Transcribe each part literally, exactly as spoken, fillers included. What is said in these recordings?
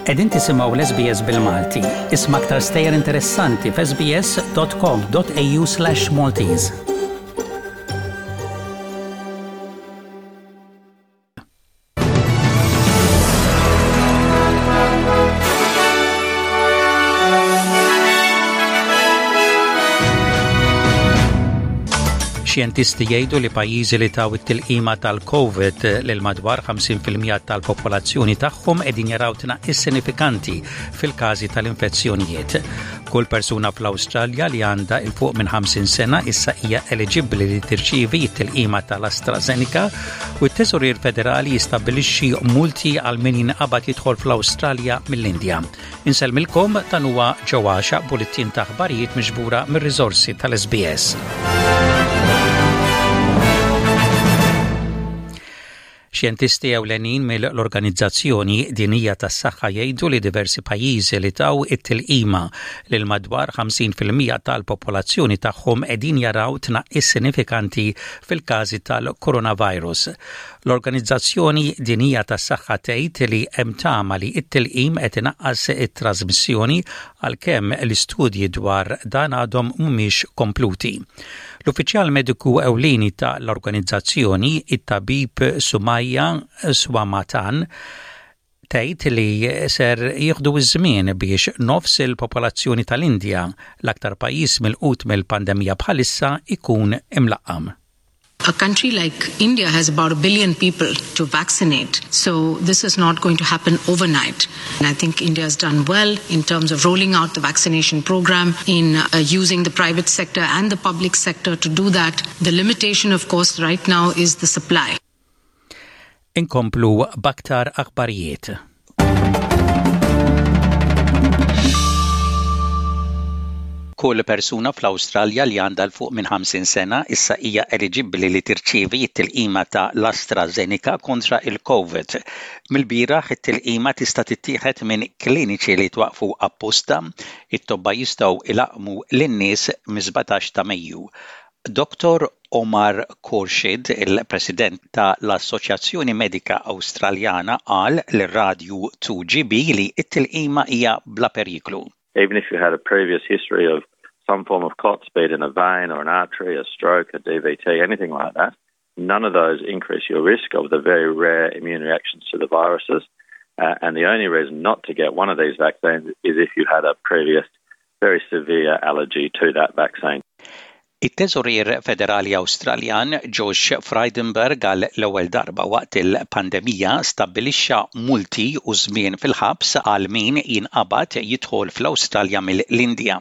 Qegħdin tisimgħu l-S B S bil-Malti. Isma' aktar stejjer interessanti f'S B S dot com dot A U slash Maltese. Xjentisti jgħidu li pajjiżi li taw it-tilqima tal-COVID lil madwar ħamsin fil-mija tal-popolazzjoni tagħhom qegħdin jaraw tnaqqis sinifikanti fil-każi tal-infezzjonijiet. Kull persuna fl-Awstralja li għandha 'il fuq minn ħamsin sena issa hija eliġibbli li tirċievi t-tilqima tal-AstraZeneca u t-Teżorier Federali jistabbilixxi multi għal min jinqabad jidħol fl-Awstralja mill-Indja. Insellmilkom, dan huwa ġewwaxa bulletin ta' aħbarijiet miġbura mir-riżorsi tal-S B S. Xjentisti ewlenin mill-Organizzazzjoni Dinjija tas-Saħħa jgħidu li diversi pajjiżi li taw it-tilqima lil madwar ħamsin fil-mija tal-popolazzjoni tagħhom qegħdin jaraw tnaqqis sinifikanti fil-każi tal-coronavirus. L-Organizzazzjoni Dinjija tas-Saħħa tgħid li hemm tama li t-tilqim qed inaqqas it-trasmissjoni, għalkemm l-istudji dwar dan għadhom mhumiex kompluti. L-uffiċjal mediku ewlieni ta' l-organizzazzjoni, it-tabib Soumya Swaminathan, tgħid li ser jieħdu iż-żmien biex nofs il-popolazzjoni tal-Indja, l-aktar pajjiż milqut mill-pandemija bħalissa, ikun imlaqqam. A country like India has about a billion people to vaccinate, so this is not going to happen overnight. And I think India has done well in terms of rolling out the vaccination program, in uh, using the private sector and the public sector to do that. The limitation, of course, right now is the supply. Inkomplu b'aktar aħbarijiet. Kull persuna fl-Awstralja li għandha 'l fuq minn ħamsin sena issa hija eliġibbli li tirċievi t-tilqima ta' l-AstraZeneca kontra il-COVID. Mill-bieraħ it-tilqima tista' tittieħed minn kliniċi li twaqfu apposta. It-tobba jistgħu ilaqqmu lin-nies mis-sbatax ta' Mejju. Doktor Omar Khorshid, il-President ta' l-Assoċjazzjoni Medika Awstraljana, qal lir-radju two G B li t-tilqima hija bla periklu. Even if you had a previous history of some form of clots, be it in a vein or an artery, a stroke, a D V T, anything like that, none of those increase your risk of the very rare immune reactions to the viruses. Uh, and the only reason not to get one of these vaccines is if you had a previous very severe allergy to that vaccine. It-Teżorier Federali Awstraljan Josh Frydenberg għal l-ewwel darba waqt il-pandemija stabbilixxa multi u żmien fil-ħabs għal min jinqabad jidħol fl-Awstralja mill-Indja.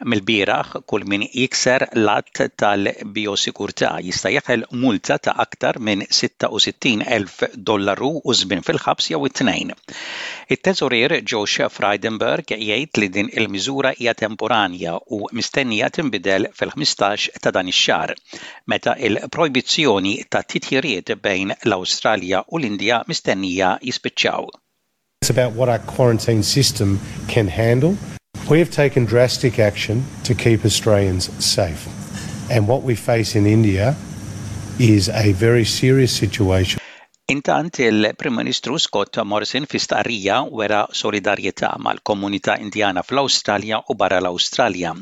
Mill-bieraħ, kull min jikser l-att tal-biosigurtà jista' jeħel multa ta' aktar minn sitta u sittin elf dollaru u żmien fil-ħabs jew it-tnejn. It-Teżorier Josh Frydenberg jgħid li din il-miżura hija temporanja u mistennija tinbidel fil-ħmistax ta' dan ix-xahar, meta il-projbizzjoni ta' titjiriet bejn l-Awstralja u l-Indja mistennija jispiċċaw. It's about what our quarantine system can handle. We have taken drastic action to keep Australians safe. And what we face in India is a very serious situation. Intant, il-Prim Ministru Scott Morrison fi stqarrija wera solidarjetà mal-komunità Indjana fl-Awstralja u barra l-Awstralja.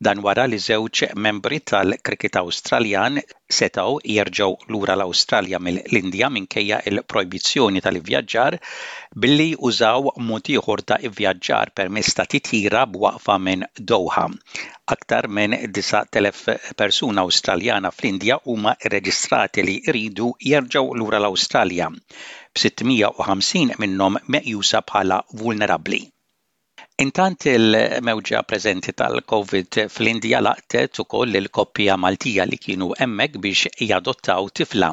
Dan wara li żewġ membri tal-kriket Awstraljan setgħu jerġgħu lura l-Awstralja mill-Indja minkejja il-projbizzjoni tal-ivvjaġġar billi użaw mod ieħor ta' ivvjaġġar permezz ta' titjira b'waqfa minn Doha. Aktar minn disa' elef persuna Awstraljana fl-Indja huma rreġistrati li jridu jerġgħu lura l-Awstralja, b'sitt mija u ħamsin minnhom meqjusa bħala vulnerabbli. Intant, il-mewġa preżenti tal-COVID fl-Indja laqtet ukoll il-koppja Maltija li kienu hemmhekk biex jadottaw tifla.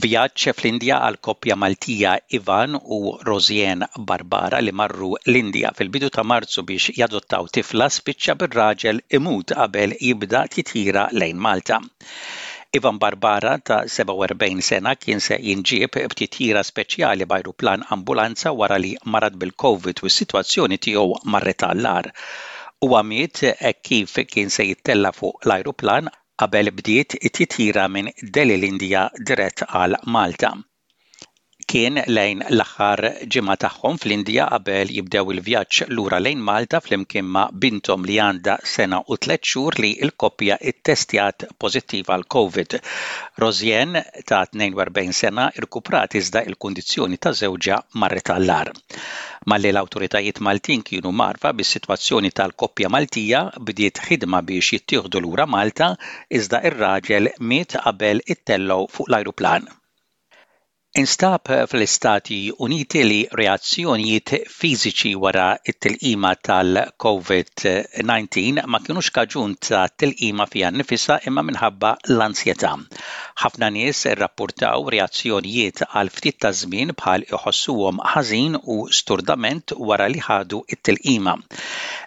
Vjaġġ fl-Indja għal koppja Maltija Ivan u Rosien Barbara, li marru l-Indja fil-bidu ta' Marzu biex jadottaw tifla, spiċċa bir-raġel imut qabel jibda titjira lejn Malta. Ivan Barbara ta' sebgħa u erbgħin sena kien se jinġieb b'titjira speċjali b'ajruplan ambulanza wara li marad bil-COVID u s-sitwazzjoni tiegħu marret għall-agħar. Huwa miet hekk kif kien se jittella fuq l-ajruplan qabel bdiet it-titjira minn Delhi, l-Indja, dirett għal Malta. Kien lejn l-aħħar ġimgħa tagħhom fl-Indja qabel jibdew il-vjaġġ lura lejn Malta flimkien ma' binthom li għandha sena u tliet xhur li l-koppja ittestjat pożittiva għal Covid. Rosianne ta' tnejn u erbgħin sena irkuprat, iżda il-kundizzjoni ta' żewġha marret għall-agħar. Malli l-awtoritajiet Maltin kienu mgħarrfa bis-sitwazzjoni tal-koppja Maltija, bdiet ħidma biex jittieħdu lura Malta, iżda ir-raġel miet qabel ittellgħu fuq l-ajruplan. Instab fl-Istati Uniti li reazzjonijiet fiżiċi wara it-tilqima tal-Covid disa ma kienux kaġun ta' tilqima fiha nnifisha imma minħabba l-ansjetà. Ħafna nies irrappurtaw reazzjonijiet għal ftit ta' żmien bħal iħossuhom ħażin u sturdament wara li ħadu it-tilqima.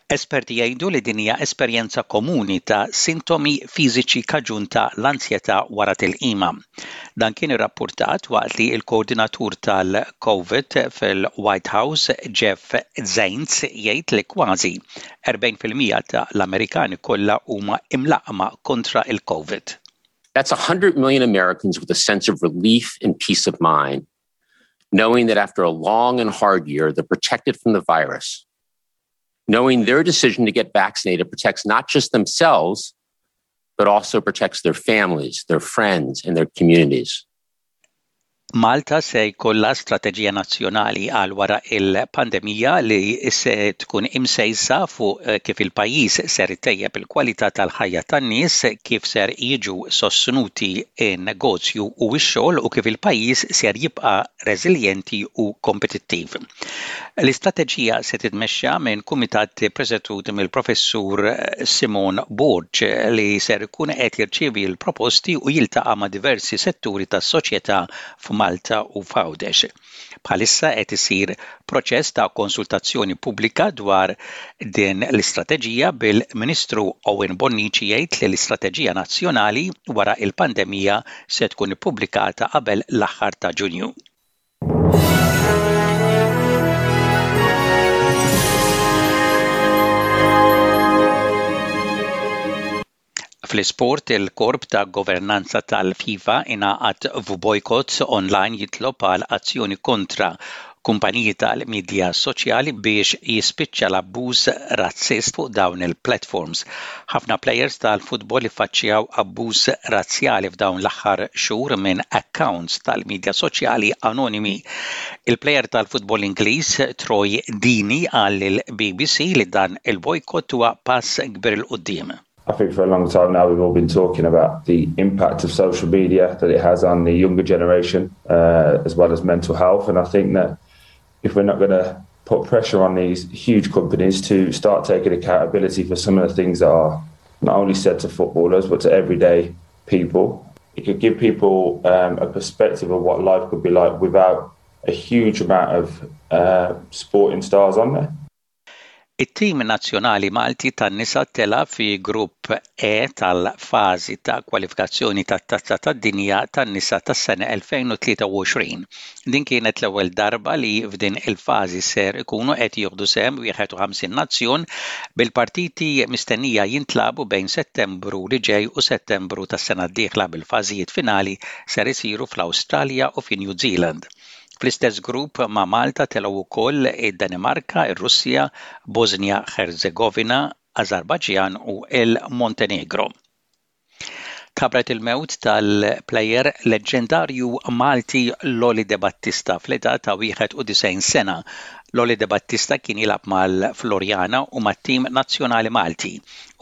Esperti jgħidu li din hija esperjenza komuni ta' sintomi fiżiċi kaġun ta' l-ansjetà wara tilqima. Dan kien irrappurtat waqt li il-koordinatur tal-Covid fil-White House, Jeff Zients, jgħid li kważi erbgħin fil-mija ta' l-Amerikani kollha huma imlaqqma kontra il-Covid. That's one hundred million Americans with a sense of relief and peace of mind, knowing that after a long and hard year, they're protected from the virus. Knowing their decision to get vaccinated protects not just themselves, but also protects their families, their friends, and their communities. Malta se jkollha strateġija nazzjonali għal wara il-pandemija li se tkun imsejsa fuq eh, kif il-pajjiż ser itejjeb il-kwalità tal-ħajja tan-nies, kif ser jiġu sostnuti in-negozju u x-xogħol u kif il-pajjiż ser jibqa' reżiljenti u kompetittiv. L-istrateġija se titmexxa minn kumitat presedut mill-Professur Simon Borg li ser ikun qed jirċievi l-proposti u jiltaqa' ma' diversi setturi tas-soċjetà f'Malta u f'Għawdex. Bħalissa qed isir proċess ta' konsultazzjoni pubblika dwar din l-istrateġija, bil-Ministru Owen Bonnici jgħid li l-istrateġija nazzjonali wara il-pandemija se tkun ippubblikata qabel l-aħħar ta' Ġunju. Fl-isport, il-korp ta' governanza tal-FIFA ingħaqad f'bojkott online jitlob għal azzjoni kontra kumpaniji tal-midja soċjali biex jispiċċa l-abbuż razzist fuq dawn il-platforms. Ħafna players tal-futbol iffaċċjaw abbuż razzjali f'dawn l-aħħar xhur minn accounts tal-midja soċjali anonimi. Il-player tal-futbol Ingliż Troy Deeney qal lill-B B C li dan il-bojkott huwa pass kbir 'il quddiem. I think for a long time now we've all been talking about the impact of social media that it has on the younger generation uh, as well as mental health. And I think that if we're not going to put pressure on these huge companies to start taking accountability for some of the things that are not only said to footballers but to everyday people, it could give people um, a perspective of what life could be like without a huge amount of uh, sporting stars on there. It-tim nazzjonali Malti tan-nisa tela fi grupp E tal-fażi ta' kwalifikazzjoni tat-Tazza tad-Dinja tan-nisa tas-sena elfejn u tlieta u għoxrin. Din kienet l-ewwel darba li f'din il-fażi ser ikunu qed jieħdu sehem wieħed u ħamsin nazzjon, bil-partiti mistennija jintlagħbu bejn Settembru li ġej u Settembru tas-sena d-dieħla, bil-fażijiet finali ser isiru fl-Awstralja u fi New Zealand. Fl-istess grupp ma' Malta telgħu wkoll id-Danimarka, ir-Russja, Bosnia Herzegovina, Azerbajġan u il-Montenegro. Tħabbret il-mewt tal-plejer leġendarju Malti Lolly De Battista fl-età ta' wieħed u disgħin sena. Lolly De Battista kien jilgħab mal-Floriana u mat-tim nazzjonali Malti.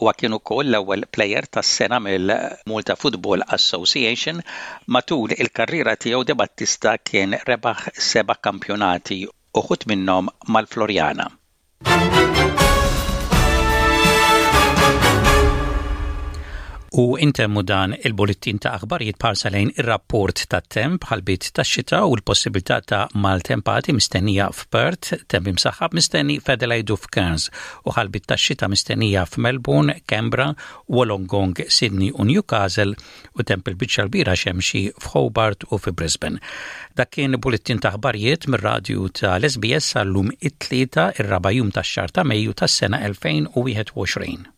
Huwa kien ukoll l-ewwel plejer tas-sena mill-Malta Football Association. Matul il-karriera tiegħu, De Battista kien rebaħ seba' kampjonati, uħud minnhom mal-Floriana. U intemmu dan il-bullettin ta' aħbarijiet b'ħarsa lejn ir-rapport ta' temp: ħalbiet ta' xita u l-possibilità ta' maltempati mistennija f'Perth, temp imsaħħab mistenni f'Adelaide u f'Cairns u ħalbiet ta' xita mistennija f'Melbourne, Canberra, Wollongong, Sydney u Newcastle u temp il-biċċa kbira xemxi f'Hobart u fi Brisbane. Dak kien bullettin ta' aħbarijiet mir-radju tal-S B S għal-lum it-Tlieta, ir-raba' jum tax-xahar ta' Mejju tas-sena elfejn u wieħed u għoxrin.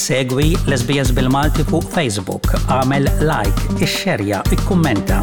Segwi l-S B S bil-Malti fuq Facebook, agħmel like, ixxerja, ikkummenta.